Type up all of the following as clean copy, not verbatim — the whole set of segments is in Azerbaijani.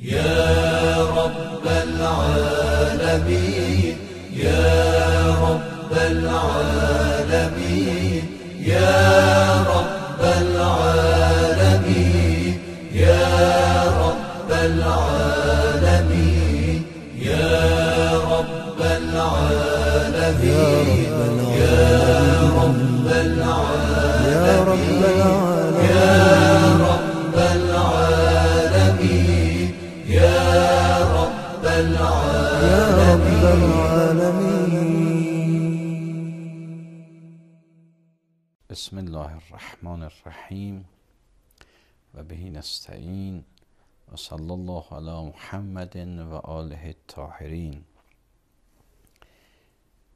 يا رب العالمين يا رب العالمين يا رب العالمين يا رب العالمين يا رب العالمين يا رب العالمين يا رب العالمين يا رب العالمين يا رب العالمين. بسم الله الرحمن الرحیم و به نستعین و صلی الله علی محمد و آله الطاهرین.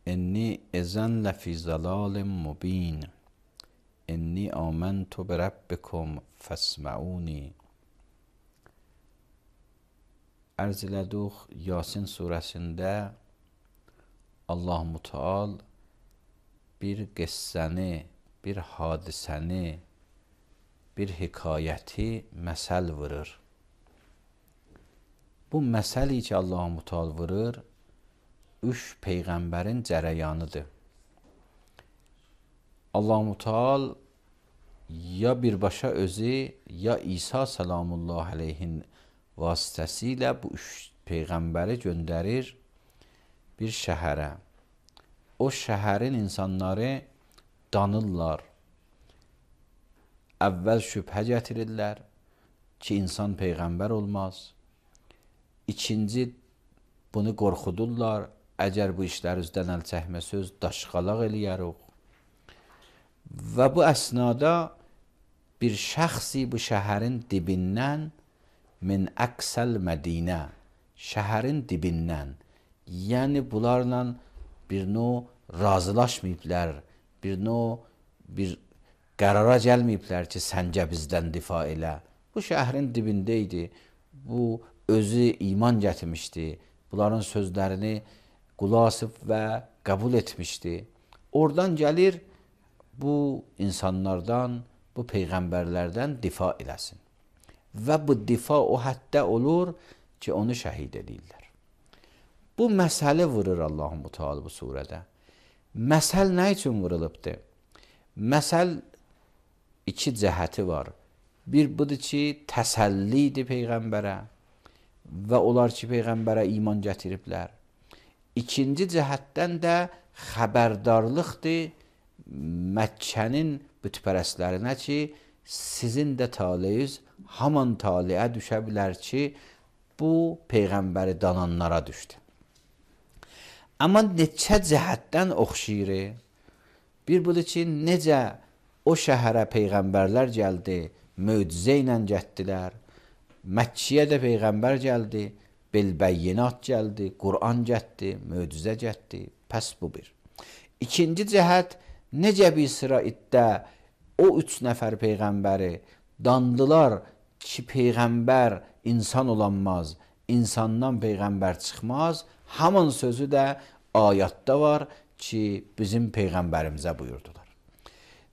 انی اذن لفی ضلال مبین انی آمنت بربکم فاسمعونی. Arz elədik Yasin surəsində Allah Müteal bir qissəni, bir hadisəni, bir hekayəti məsəl vurur. Bu məsəli ki Allah Müteal vurur, üç peyğəmbərin cərəyanıdır. Allah Müteal ya birbaşa özü, ya İsa salamullah aleyhin vasitəsilə bu üç peyğəmbəri göndərir bir şəhərə. O şəhərin insanları danırlar. Əvvəl şübhə gətirirlər ki, insan peyğəmbər olmaz. İkinci, bunu qorxudurlar. Əgər bu işlər üzdən əl çəkməsəz, daşqalaq eləyərik. Və bu əsnada bir şəxsi bu şəhərin dibindən min əksəl Mədinə, şəhərin dibindən, yəni bunlarla bir növ razılaşmayıblar, bir qərara gəlməyiblər ki, səncə bizdən difa elə. Bu şəhərin dibində idi, bu özü iman gətirmişdi, bunların sözlərini qulasıb və qəbul etmişdi. Oradan gəlir bu insanlardan, bu peyğəmbərlərdən difa eləsin. Və bu difa o həddə olur ki, onu şəhid edirlər. Bu məsələ vurur Allah-u Müteal bu surədə. Məsəl nə üçün vurulubdur? Məsəl iki cəhəti var. Bir budur ki, təsəllidir peyğəmbərə və onlar ki, peyğəmbərə iman gətiriblər. İkinci cəhətdən də xəbərdarlıqdır Məkkənin bütpərəstlərinə ki, sizin də taleyüz haman taliyə düşə bilər ki, bu peyğəmbəri dananlara düşdü. Amma neçə cəhətdən oxşayır. Bir budur ki, necə o şəhərə peyğəmbərlər gəldi, möcüzə ilə getdilər. Məkkiyə də peyğəmbər gəldi, bilbəyyinat gəldi, Qur'an getdi, möcüzə getdi. Pəs bu bir. İkinci cəhət, necə bir sıra iddə o üç nəfər peyğəmbəri dandılar ki, peyğəmbər insan olanmaz, insandan peyğəmbər çıxmaz. Haman sözü də ayətdə var ki, bizim peyğəmbərimizə buyurdular.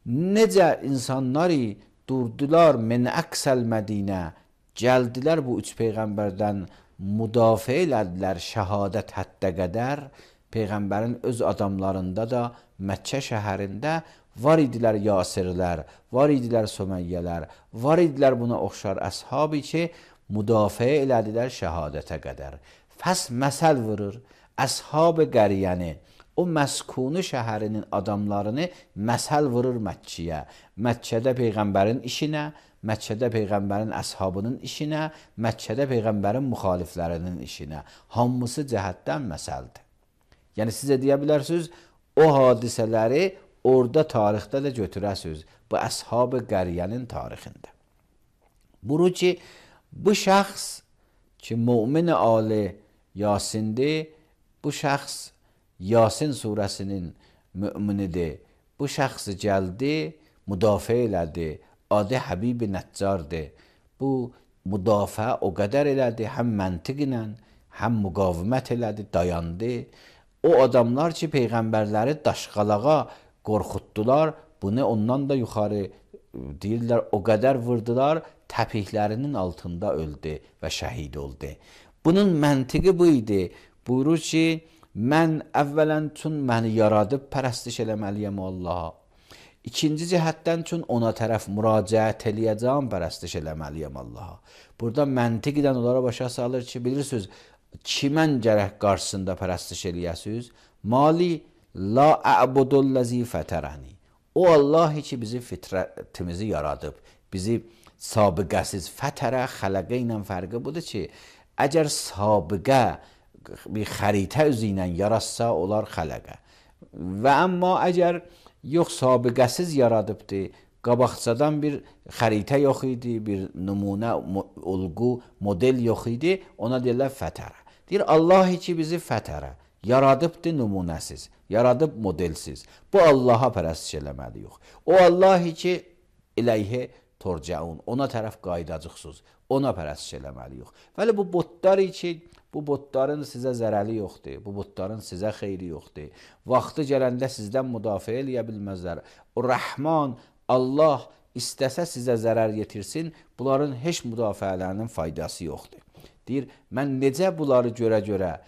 Necə insanları durdular min əksəl Mədinə, gəldilər bu üç peyğəmbərdən müdafiə elədilər şəhadət həddə qədər. Peyğəmbərin öz adamlarında da Məkkə şəhərində var idilər Yasirlər, var idilər Söməyyələr, var idilər buna oxşar əshabi ki, müdafiə elədilər şəhadətə qədər. Fəs məsəl vurur, əshab-ı qəriyyəni, o məskunu şəhərinin adamlarını məsəl vurur Məkkiyə. Məkkədə peyğəmbərin işinə, Məkkədə peyğəmbərin əshabının işinə, Məkkədə peyğəmbərin müxaliflərinin işinə. Hamısı cəhətdən məsəldir. Yəni sizə deyə bilərsiniz, o hadisələri orada tarixdə də götürəsiniz. Bu əshab-ı qəriyyənin tarixində. Buru ki, bu şəxs ki, mümin ali Yasindir, bu şəxs Yasin surəsinin müminidir. Bu şəxs gəldi, müdafiə elədi. Adı Həbib-i Nəccardır. Bu müdafiə o qədər elədi, həm məntiq ilə, həm müqavimət elədi, dayandı. O adamlar ki, peyğəmbərləri daşqalağa qorxutdular, bunu ondan da yuxarı deyirlər o qədər vurdular, təpiklərinin altında öldü və şəhid oldu. Bunun məntiqi bu idi. Buyurur ki, mən əvvələn çün məni yaradıb pərəstiş eləməliyəm Allaha. İkinci cəhətdən çün ona tərəf müraciət eləyəcəm, pərəstiş eləməliyəm Allaha. Burada məntiqdən onlara başa salır ki, bilirsiniz, kimən gərək qarşısında pərəstiş eləyəsiniz? Mali la a'budullazi fətərəni. O Allah ki, bizi fitrətimizi yaradıb, bizi sabiqəsiz fətərə, xələqə ilə fərqi budur ki, əgər sabiqə bir xəritə üzü ilə yaratsa, olar xələqə. Və amma əgər yox sabiqəsiz yaradıbdır, qabaqcadan bir xəritə yox idi, bir nümunə, olğu, model yox idi, ona deyirlər fətərə. Deyir, Allah ki, bizi fətərə, yaradıbdır nümunəsiz, yaradıb modelsiz. Bu Allaha pərəstiş eləməliyik. O Allah ki, iləyhi turcaun, ona tərəf qaydacıqsınız, ona pərəstiş eləməliyik. Vəli bu botlar ki, bu botların sizə zərəli yoxdur, bu botların sizə xeyri yoxdur. Vaxtı gələndə sizdən müdafiə eləyə bilməzlər. O Rəhman, Allah istəsə sizə zərər yetirsin, bunların heç müdafiələrinin faydası yoxdur. Deyir, mən necə bunları görə-görə,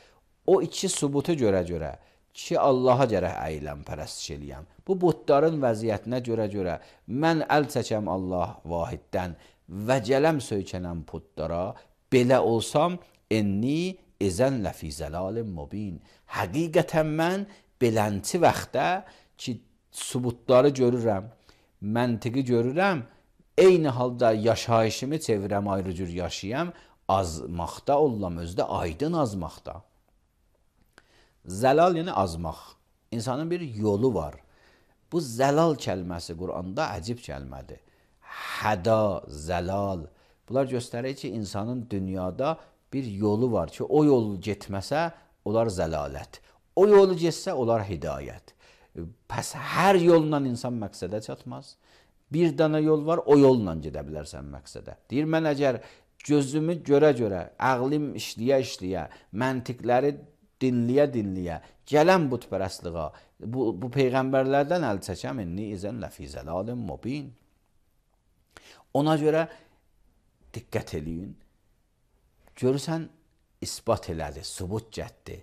o iki sübutu görə-görə ki, Allaha gərək əyiləm, pərəstiş eləyəm. Bu botların vəziyyətinə görə-görə mən əl çəkəm Allah vahiddən və gələm söykənəm putlara, belə olsam, enni izən ləfi zəlalin mubin. Həqiqətən mən belənti vaxtda ki, sübutları görürəm, məntiqi görürəm, eyni halda yaşayışımı çevirəm, ayrı cür yaşayam, azmaqda ollam, özdə aydın azmaqda. Zəlal yəni azmaq. İnsanın bir yolu var. Bu zəlal kəlməsi Quranda əcib kəlmədir. Həda, zəlal. Bunlar göstərir ki, insanın dünyada bir yolu var ki, o yolu getməsə, olar zəlalət. O yolu getsə, olar hidayət. Pəs hər yolla insan məqsədə çatmaz. Bir dana yol var, o yolla gedə bilərsən məqsədə. Deyir, mən əgər gözümü görə-görə, əqlim işləyə-işləyə, məntiqləri dinləyə-dinləyə, gələm butpərəstliğa, bu peyğəmbərlərdən əl çəkəm, inni izən ləfi zəlalin mubin. Ona görə diqqət eləyin. Görürsən, isbat elədi, sübut gətdi.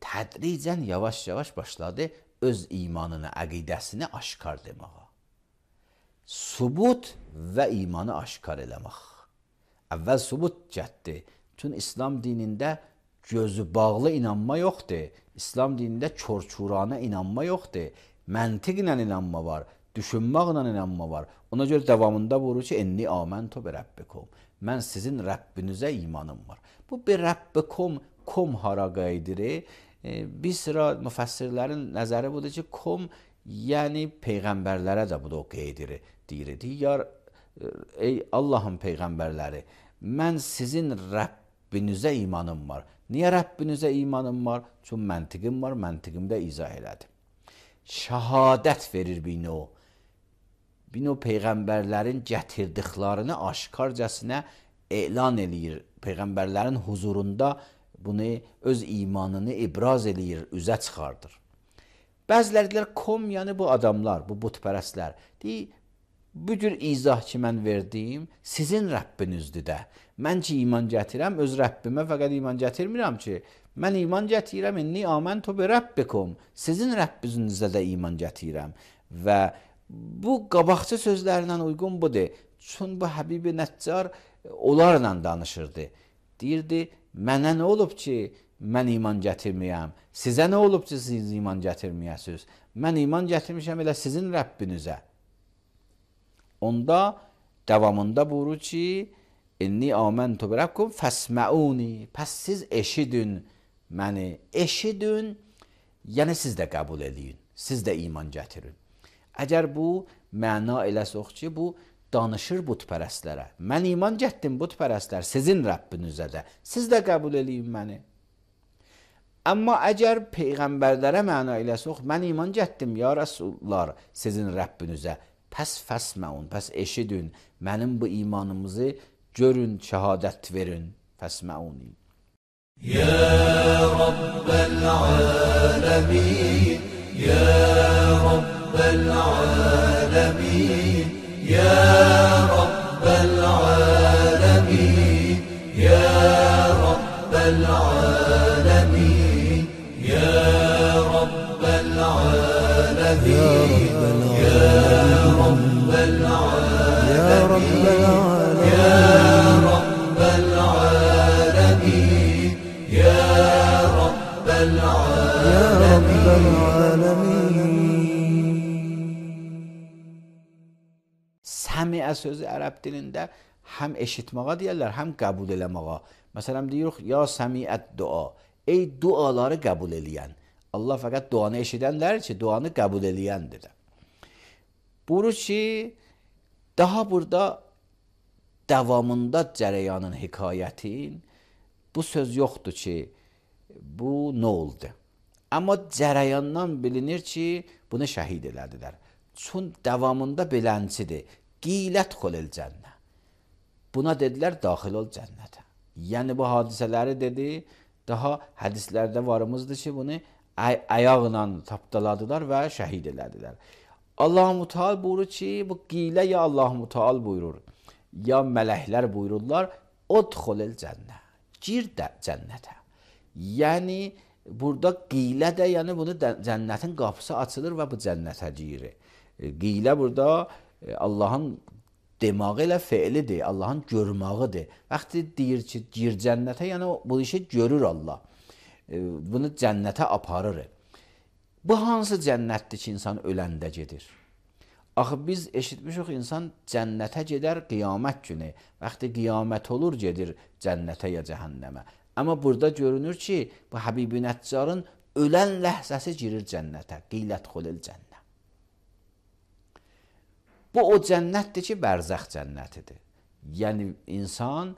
Tədricən yavaş-yavaş başladı öz imanını, əqidəsini aşkar deməyə. Sübut və imanı aşkar eləmək. Əvvəl sübut gətdi. Çünki İslam dinində gözü bağlı inanma yoxdur. İslam dinində çor-çurana inanma yoxdur. Məntiqlə inanma var, düşünməklə inanma var. Ona görə davamında buyurur ki, enni aməntu bi rabbikum. Mən sizin Rəbbinizə imanım var. Bu bir Rabbikum, kom hara qayıdır? Bir sıra müfəssirlərin nəzəri budur ki, kom, yəni peyğəmbərlərə də bu da o qeydir, deyir. Deyir, ey Allahın peyğəmbərləri, mən sizin Rəbbinizə imanım var. Niyə Rəbbinizə imanım var? Çünki məntiqim var, məntiqimdə izah elədim. Şəhadət verir bino. Bino peyğəmbərlərin gətirdiklərini aşkarcasına elan eləyir. Peyğəmbərlərin huzurunda bunu öz imanını ibraz eləyir, üzə çıxardır. Bəziləri deyirlər, kom, yəni bu adamlar, bu butpərəstlər. Deyir, bu cür izah ki mən verdiyim sizin Rəbbinizdür də. Mən ki iman gətirəm, öz Rəbbimə fəqət iman gətirmirəm ki. Mən iman gətirəm, inni aməntu bi rabbikum. Sizin Rəbbinizə də iman gətirəm. Və bu qabaqçı sözlərlə uyğun budur. Çünki bu Həbibi Nəccar onlarla danışırdı. Deyirdi, mənə nə olub ki mən iman gətirməyəm? Sizə nə olub ki siz iman gətirməyəsiniz? Mən iman gətirmişəm elə sizin Rəbbinizə. Onda davamında buyurur ki, inni aməntu bi rabbikum fəsməuni. Pəs siz eşidin məni. Eşidin, yəni siz də qəbul edin. Siz də iman gətirin. Əgər bu məna eləsək ki, bu danışır butpərəstlərə. Mən iman gətirdim butpərəstlər, sizin Rəbbinizə də. Siz də qəbul edin məni. Amma əgər peyğəmbərlərə məna eləsək, mən iman gətirdim ya Rəsullar sizin Rəbbinizə. Pəs fəsməun, pəs eşidin, mənim bu imanımızı görün, şəhadət verin, fəsməuni. Ya Rabbəl aləmin, Ya Rabbəl aləmin, يا رب العالمين يا رب العالمين يا رب العالمين يا رب العالمين يا رب العالمين يا رب العالمين يا رب العالمين. Səmiə sözü ərəb dilində həm eşitməyə deyirlər, həm qəbul eləməyə. Məsələn deyirik ya səmiət dua. Ey duaları qəbul eləyən. Allah fəqət duanı eşidənlər ki, duanı qəbul eləyəndir. Buyurur ki, daha burada davamında cərəyanın hekayətin bu söz yoxdur ki, bu nə oldu? Amma cərəyandan bilinir ki, bunu şəhid elədilər. Çün davamında beləncidir. Qilət xolil cənnə. Buna dedilər, daxil ol cənnətə. Yəni bu hadisələri dedi, daha hədislərdə varımızdır ki, bunu ayaqla tapdaladılar və şəhid elədilər. Allah-u Teala buyurur ki, bu qilə ya Allah-u Teala buyurur, ya mələklər buyururlar, udxulil cənnə. Gir də cənnətə. Yəni burada qilə də, yəni bunu cənnətin qapısı açılır və bu cənnətə girir. Qilə burada Allahın demağı ilə feilidir, Allahın görmağıdır. Vaxtı deyir ki, gir cənnətə, yəni bu işi görür Allah. Bunu cənnətə aparır. Bu hansı cənnətdir ki, insan öləndə gedir? Axı biz eşitmişik, insan cənnətə gedər qiyamət günü. Vaxtı qiyamət olur, gedir cənnətə ya cəhənnəmə. Amma burada görünür ki, bu Həbib-i Nəccarın ölən ləhzəsi girir cənnətə. Qilət xolil cənnə. Bu o cənnətdir ki, bərzəx cənnətidir. Yəni insan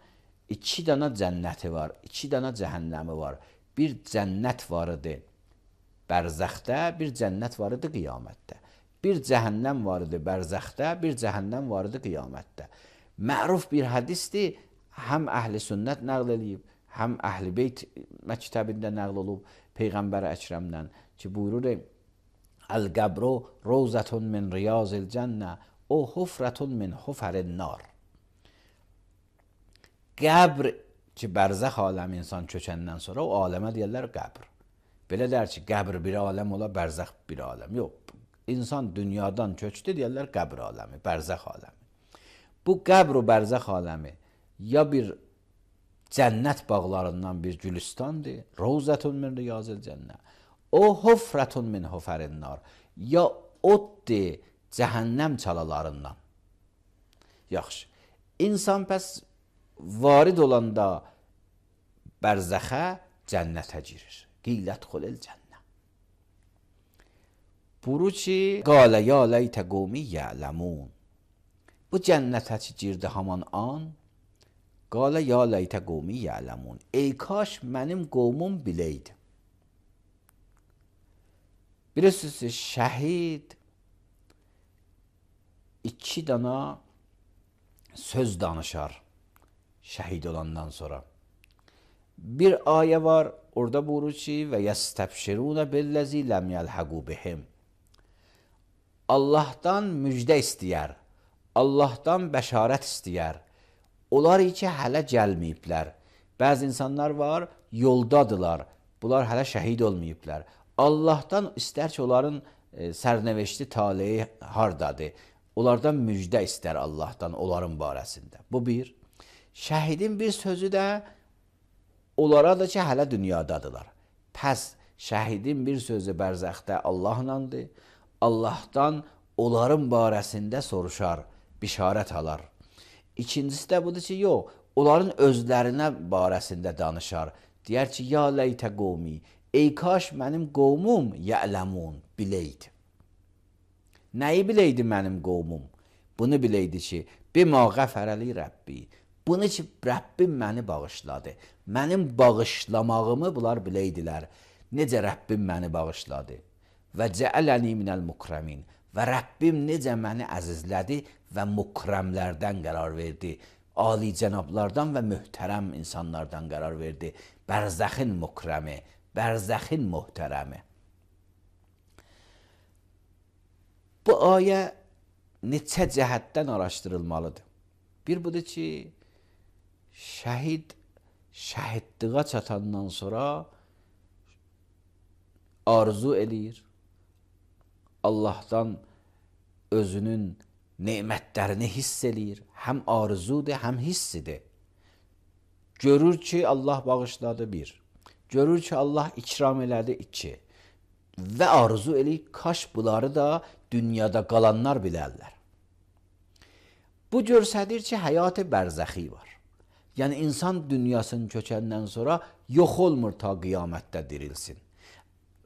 iki dana cənnəti var, iki dana cəhənnəmi var. Bir cənnət var idi bərzəxdə, bir cənnət var idi qiyamətdə. Bir cəhənnəm var idi bərzəxdə, bir cəhənnəm var idi qiyamətdə. Məruf bir hədisdir, həm əhl-i sünnət nəql edib, həm əhl-i beyt məktəbində nəql olub Peyğəmbər Əkrəmdən ki, buyurur, Əl-qəbru rovzətun min riyazil cənnə, o hufrətun min hufərin nar. Qəbr ki, bərzəx aləmi insan köçəndən sonra o aləmə deyərlər qəbr. Belə dər ki, qəbr bir aləm ola, bərzəx bir aləm. Yox, insan dünyadan köçdü deyərlər qəbr aləmi, bərzəx aləmi. Bu qəbr və bərzəx aləmi ya bir cənnət bağlarından bir gülüstandır, rovzətun min riyazil cənnə, o hufrətun min hufərin nar, ya oddir cəhənnəm çalalarından. Yaxşı, insan pəs varid olanda bərzəxə cənnətə girir. Qilət xolil cənnə. Buyurur ki, qalə ya leytə qovmi ya'ləmun. Bu cənnətə ki girdi haman an, qalə ya leytə qovmi ya'ləmun. Ey kaş mənim qovmum biləydi. Bilirsiniz, şəhid iki dana söz danışar şəhid olandan sonra. Bir ayə var, orada buyurur ki, və yəstəbşirunə billəzi ləm yəlhəqu bihim. Allahdan müjdə istəyər, Allahdan bəşarət istəyər. Onlar ki, hələ gəlməyiblər. Bəzi insanlar var, yoldadılar, bunlar hələ şəhid olmayıblar. Allahdan istər ki, onların sərnəveşli taleyi hardadır. Onlardan müjdə istər Allahdan, onların barəsində. Bu bir. Şəhidin bir sözü də onlara da ki, hələ dünyadadılar. Pəs şəhidin bir sözü bərzəxdə Allahlandır. Allahdan onların barəsində soruşar, bişarət alar. İkincisi də budur ki, yox, onların özlərinə barəsində danışar. Deyər ki, ya leytə qovmi, ey kaş mənim qovmum ya'ləmun, biləydi. Nəyi biləydi mənim qovmum? Bunu biləydi ki, bima qəfərəli Rəbbi. Bunu ki, Rəbbim məni bağışladı. Mənim bağışlamağımı bunlar biləydilər. Necə Rəbbim məni bağışladı? Və cəələni minəl mukrəmin. Və Rəbbim necə məni əzizlədi və mukrəmlərdən qərar verdi. Ali cənablardan və möhtərəm insanlardan qərar verdi. Bərzəxin mukrəmi, bərzəxin möhtərəmi. Bu ayə neçə cəhətdən araşdırılmalıdır. Bir budur ki, şəhidliğə çatandan sonra arzu eləyir, Allahdan özünün nemətlərini hiss eləyir. Həm arzudur, həm hissidir. Görür ki, Allah bağışladı, bir. Görür ki, Allah ikram elədi, iki. Və arzu eləyir, kaş bunları da dünyada qalanlar bilərlər. Bu göstərir ki, həyat-ı bərzəxi var. Yəni, insan dünyasını köçəndən sonra yox olmur ta qiyamətdə dirilsin.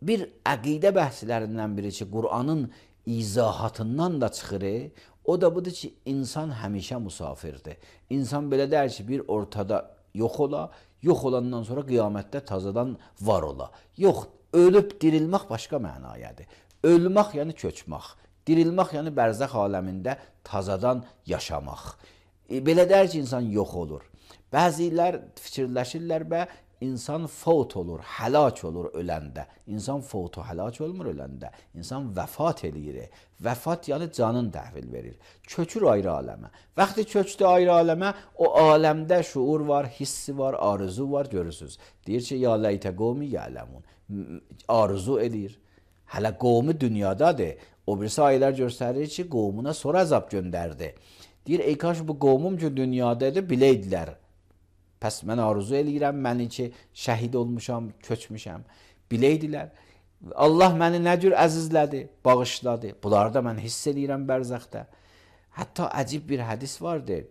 Bir əqidə bəhslərindən biri ki, Qur'anın izahatından da çıxır, o da budur ki, insan həmişə musafirdir. İnsan belə deyir ki, bir ortada yox ola, yox olandan sonra qiyamətdə tazadan var ola. Yox, ölüb dirilmək başqa mənayadır. Ölmək yəni köçmək, dirilmək yəni bərzəx aləmində tazadan yaşamaq. Belə deyir ki, insan yox olur. Bəzilər fikirləşirlər və insan fot olur, həlak olur öləndə. İnsan fotu həlak olmur öləndə. İnsan vəfat eləyir. Vəfat yəni canın təhvil verir. Köçür ayrı aləmə. Vaxtı köçdü ayrı aləmə, o aləmdə şuur var, hissi var, arzu var, görürsünüz. Deyir ki, ya ləytə qovmi yələmun. Arzu eləyir. Hələ qovmu dünyadadır. O birisi ayələr göstərir ki, qovmuna sonra əzab göndərdi. Deyir, ey kaş bu qovmum ki dünyadadır, biləydilər. Pəs mən arzu eləyirəm, məni ki, şəhid olmuşam, köçmüşəm. Biləydilər. Allah məni nə cür əzizlədi, bağışladı. Bunları da mən hiss eləyirəm bərzəxdə. Hətta əcib bir hədis vardır.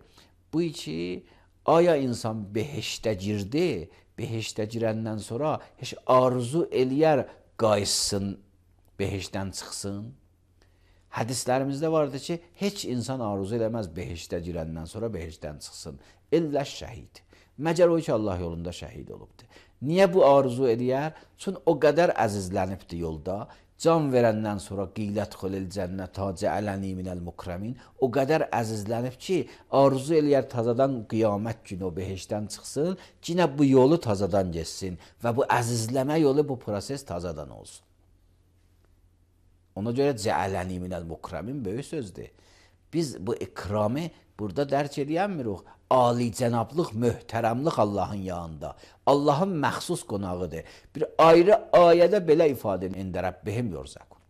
Bu ki, aya insan behişdə girdi, behişdə girəndən sonra heç arzu eləyər qayıtsın, behişdən çıxsın. Hədislərimizdə vardır ki, heç insan arzu eləməz behişdə girəndən sonra behişdən çıxsın. İllə şəhid. Məcər o ki, Allah yolunda şəhid olubdur. Niyə bu arzu eləyər? Çünki o qədər əzizlənibdir yolda. Can verəndən sonra qeylət xulil cənnət cəələni minəl mukremin. O qədər əzizlənib ki, arzu eləyər tazadan qiyamət günü o behişdən çıxsın, yine bu yolu tazadan geçsin və bu əzizləmə yolu, bu proses tazadan olsun. Ona görə cəələni minəl mukremin böyük sözdür. Biz bu ikramı burada dərk edəmirik. Ali cənablıq, möhtərəmlik Allahın yanında. Allahın məxsus qonağıdır. Bir ayrı ayədə belə ifadə ində Rəbbihim yorzaqun.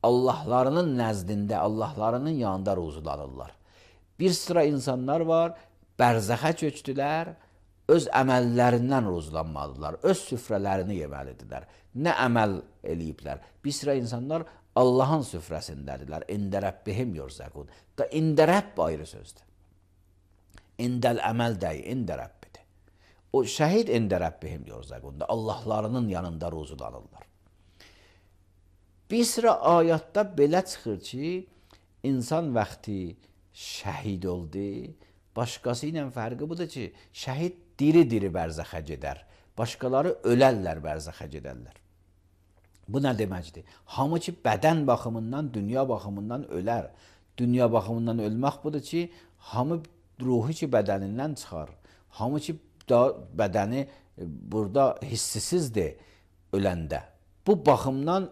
Allahlarının nəzdində, Allahlarının yanında ruzulanırlar. Bir sıra insanlar var, bərzəxə köçdülər, öz əməllərindən ruzulanmalıdırlar, öz süfrələrini yeməlidirlər. Nə əməl eləyiblər? Bir sıra insanlar Allahın süfrəsindədirlər. İndə Rəbbihim yorzaqun. Da ində Rəbb ayrı sözdür. İndəl əməl dəyi, ində Rəbbidir. O şəhid ində Rəbbihim yorzaqunda. Allahlarının yanında ruzulanırlar. Bir sıra ayatda belə çıxır ki, insan vaxtı şəhid oldu, başqası ilə fərqi budur ki, şəhid diri-diri bərzəxə gedər. Başqaları ölərlər, bərzəxə gedərlər. Bu nə deməkdir? Hamı ki, bədən baxımından, dünya baxımından ölər. Dünya baxımından ölmək budur ki, hamı ruhu ki bədənindən çıxar. Hamı ki bədəni burada hissisizdir öləndə. Bu baxımdan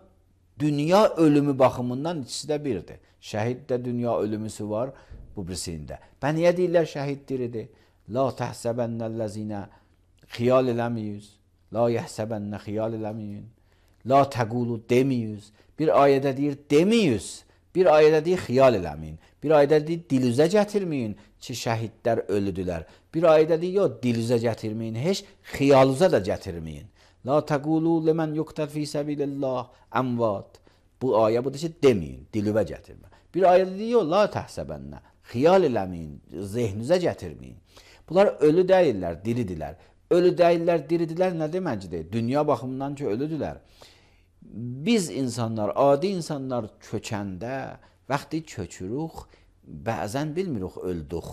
dünya ölümü baxımından ikisi də birdir. Şəhid də dünya ölümüsü var bu birisində. Bə niyə deyirlər şəhid diridir? La təhsəbənnəl-ləzinə xiyal eləməyiz. La yəhsəbənnə xiyal eləməyin. La təqulu demiyiz. Bir ayədə deyir demiyiz. Bir ayədə deyir xiyal eləməyin. Bir ayədə deyir dilüzə gətirməyin ki, şəhidlər ölüdülər. Bir ayədə deyir, yox, dilüzə gətirməyin, heç xiyalüzə də gətirməyin. La təqulu ləmən yuqtəl fi səbilillah əmvat. Bu ayə budur ki, deməyin, dilüvə gətirmə. Bir ayədə deyir, yox, la təhsəbənnə, xiyal eləməyin, zehnüzə gətirməyin. Bunlar ölü deyirlər, diridirlər. Ölü deyirlər, diridirlər nə deməkdir? Dünya baxımından ki, ölüdülər. Biz insanlar, adi insanlar köçəndə, vaxtı köçürük, bəzən bilmirik öldük,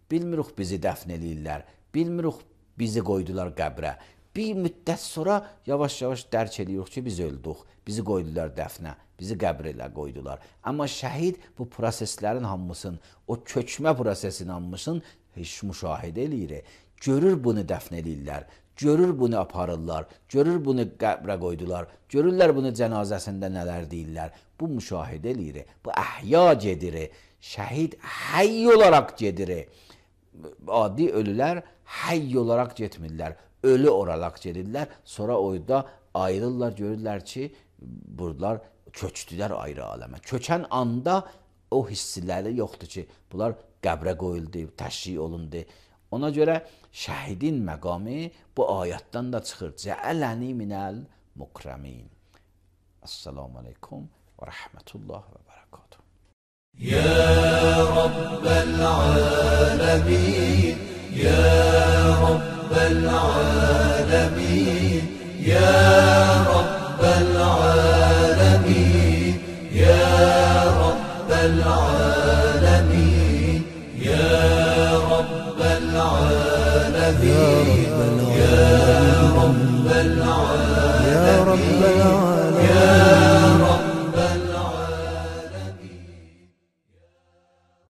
bilmirik bizi dəfn eləyirlər, bilmirik bizi qoydular qəbrə. Bir müddət sonra yavaş-yavaş dərk edirik ki, biz öldük, bizi qoydular dəfnə, bizi qəbrə qoydular. Amma şəhid bu proseslərin hamısını, o köçmə prosesinin hamısını heç müşahidə eləyir. Görür bunu dəfn eləyirlər. Görür bunu aparırlar, görür bunu qəbrə qoydular, görürlər bunu cənazəsində nələr deyirlər. Bu müşahidə eləyir, bu əhya gedir, şəhid həy olaraq gedir. Adi ölülər həy olaraq getmirlər, ölü olaraq gedirlər. Sonra oyda ayrılırlar, görürlər ki, buradalar köçdülər ayrı aləmə. Köçən anda o hissiləri yoxdur ki, bunlar qəbrə qoyuldu, təşrih olundu. Ona görə şəhidin məqamı bu ayətdən də çıxır. Cəələni minəl mukramin. Assalamu aleykum və rəhmətullah və bərəkatuhu. يا رب العالمين يا رب العالمين يا رب العالمين يا رب العالمين يا رب العالمين